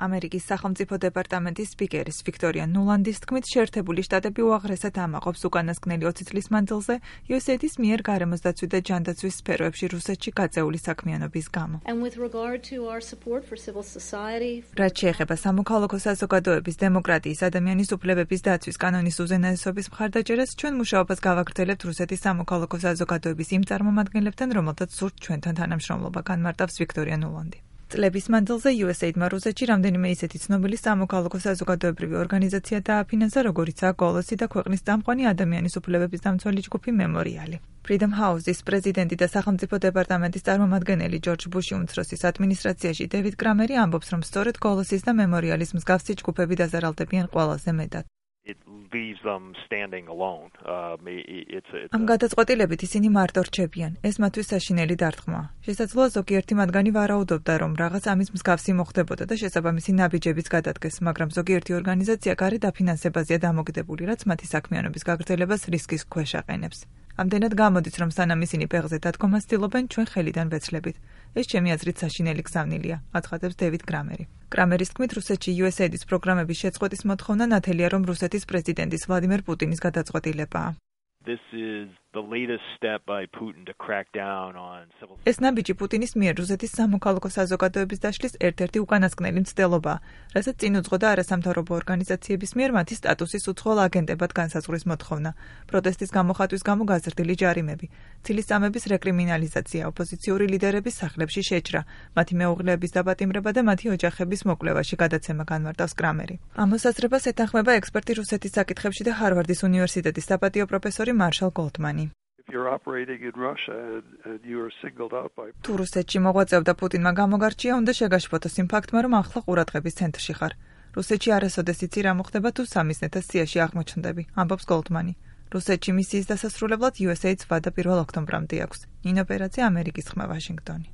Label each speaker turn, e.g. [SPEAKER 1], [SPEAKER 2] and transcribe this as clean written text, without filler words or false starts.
[SPEAKER 1] ამერიკის სახელმწიფო დეპარტამენტის სპიკერის ვიქტორია ნულანდის თქმით, შეერთებული შტატები უაღრესად ამაყობს უკანასკნელი 20 წლის მანძილზე USAID-ის მიერ გარემოს დაცვის და ჯანდაცვის სფეროებში რუსეთში გაწეული საქმიანობის გამო. რაც შეეხება სამოქალაქო საზოგადოების, დემოკრატიის, ადამიანის უფლებების დაცვის კანონის უზენაესობის მხარდაჭერას, ჩვენ მუშაობას გავაგრძელებთ რუსეთის სამოქალაქო საზოგადოების იმ წარმომადგენლებთან, რომელთაც სურთ ჩვენთან თანამშრომლობა, განმარტავს ვიქტორია ნულანდი. წლების მანძილზე USAID-მა რუსეთში რამდენიმე ისეთი ცნობილი სამოქალაქო საზოგადოებრივი ორგანიზაცია დააფინანსა, როგორიცაა გოლოსი და ქვეყნის წამყვანი ადამიანის უფლებების დამცველი ჯგუფი მემორიალი. Freedom House-ის პრეზიდენტი და სახელმწიფო დეპარტამენტის წარმომადგენელი ჯორჯ ბუში უმცროსის ადმინისტრაციაში დევიდ კრამერი ამბობს, რომ სწორედ გოლოსის და მემორიალის მსგავსი ჯგუფები დაზარალდებიან ყველაზე მეტად. ამ გადაწყვეტილებით ისინი მარტო რჩებიან. ეს მათთვის საშინელი დარტყმაა. შესაძლოა ზოგიერთი მათგანი ვარაუდობდა, რომ რაღაც ამის მსგავსი მოხდებოდა და შესაბამისი ნაბიჯებიც გადადგეს, მაგრამ ზოგიერთი ორგანიზაცია გარეთ დაფინანსებაზეა დამოკიდებული, რაც მათი საქმიანობის გაგრძელებას რისკის ქვეშ აყენებს. ამდენად გამოდის, რომ სანამ ისინი ფეხზე დადგომას ცდილობენ, ჩვენ ხელიდან ვეცლებით. ეს ჩემი აზრით საშინელი გზავნილია, აცხადებს დევიდ კრამერი. კრამერის თქმით, რუსეთში USAID-ის პროგრამების შეწყვეტის მოთხოვნა ნათელია, რომ რუსეთის პრეზიდენტის ვლადიმერ პუტინის გადაწყვეტილებაა. ეს ნაბიჯი პუტინის მიერ რუსეთის სამოქალაქო საზოგადოების დაშლის ერთ-ერთი უკანასკნელი მცდელობაა, რასაც წინ უძღოდა არასამთავრობო ორგანიზაციების მიერ მათი სტატუსის უცხოელ აგენტებად განსაზღვრის მოთხოვნა, პროტესტის გამოხატვის გამო გაზრდილი ჯარიმები, ცილისწამების რეკრიმინალიზაცია, ოპოზიციური ლიდერების სახლებში შეჭრა, მათი მეუღლეების დაპატიმრება და მათი ოჯახების მოკვლევაში გადაცემა, განმარტავს კრამერი. ამ მოსაზრებას ეთანხმება ექსპერტი რუსეთის საკითხებში და ჰარვარდის უნივერსიტეტის საპატიო პროფესორი მარშალ გოლდმანი. თუ რუსეთში მოღვაწეობდა პუტინმა გამოგარჩია, უნდა შეგაშფოთოს იმ ფაქტმა, რომ ახლა ყურადღების ცენტრში ხარ. რუსეთში არასოდეს იცი რა მოხდება, თუ სამიზნეთა სიაში აღმოჩნდები, ამბობს გოლდმანი. რუსეთში მისიის დასასრულებლად USAID-ს ვადა 1 ოქტომბრამდე აქვს. ნინო პერაძე, ამერიკის ხმა, ვაშინგტონი.